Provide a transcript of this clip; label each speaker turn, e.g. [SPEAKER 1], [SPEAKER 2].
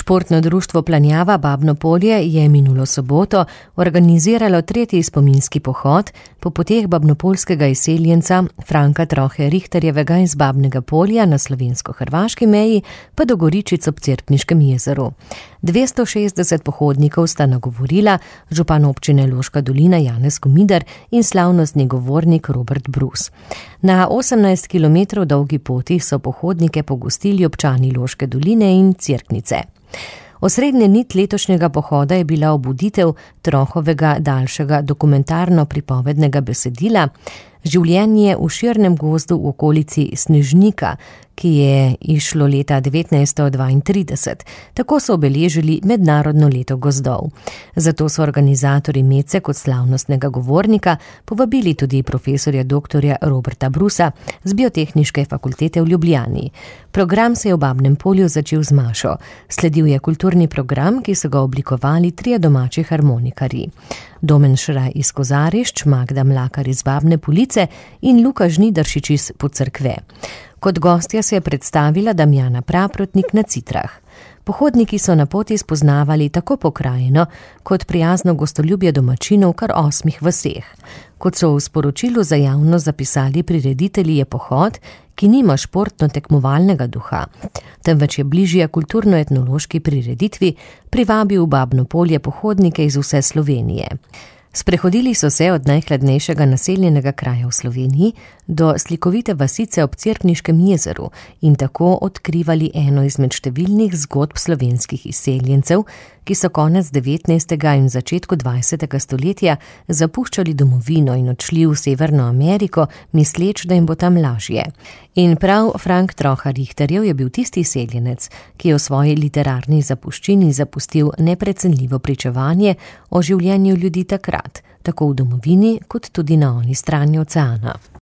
[SPEAKER 1] Športno društvo Planjava Babno Polje je minulo soboto organiziralo 3. spominski pohod po poteh babnopoljskega izseljenca Franka Trohe Richterjevega iz Babnega Polja na slovensko-hrvaški meji pa do Goričic ob Cerkniškem jezeru. 260 pohodnikov sta nagovorila župan občine Loška dolina Janez Komidar in slavnostni govornik Robert Brus. Na 18 km dolgi poti so pohodnike pogostili občani Loške doline in Cerknice. Osrednja nit letošnjega pohoda je bila obuditev Trohovega daljšega dokumentarno-pripovednega besedila Življenje v širnem gozdu v okolici Snežnika, ki je išlo leta 1932. Tako so obeležili mednarodno leto gozdov. Zato so organizatorji Mece kot slavnostnega govornika povabili tudi profesorja dr. Roberta Brusa z Biotehniške fakultete v Ljubljani. Program se je v Babnem Polju začel z mašo. Sledil je kulturni program, ki so ga oblikovali 3 domači harmonikarji. Domen Šraj iz Kozarišč, Magda Mlakar iz Babne Police in Luka Žnidaršič iz Pocerkve. Kot gostja se je predstavila Damjana Praprotnik na Citrah. Pohodniki so na poti spoznavali tako pokrajino kot prijazno gostoljubje domačinov v kar 8 vaseh. Kot so v sporočilu za javnost zapisali prireditelji, je pohod, ki nima športno-tekmovalnega duha, temveč je bližje kulturno-etnološki prireditvi, privabil v Babno Polje pohodnike iz vse Slovenije. Sprehodili so se od najhladnejšega naseljenega kraja v Sloveniji do slikovite vasice ob Cerkniškem jezeru in tako odkrivali eno izmed številnih zgodb slovenskih izseljencev, ki so konec 19. in začetku 20. stoletja zapuščali domovino in odšli v Severno Ameriko, misleč, da jim bo tam lažje. In prav Frank Troha Richterjev je bil tisti izseljenec, ki je v svoji literarni zapuščini zapustil neprecenljivo pričevanje o življenju ljudi takrat, tako v domovini kot tudi na oni strani oceana.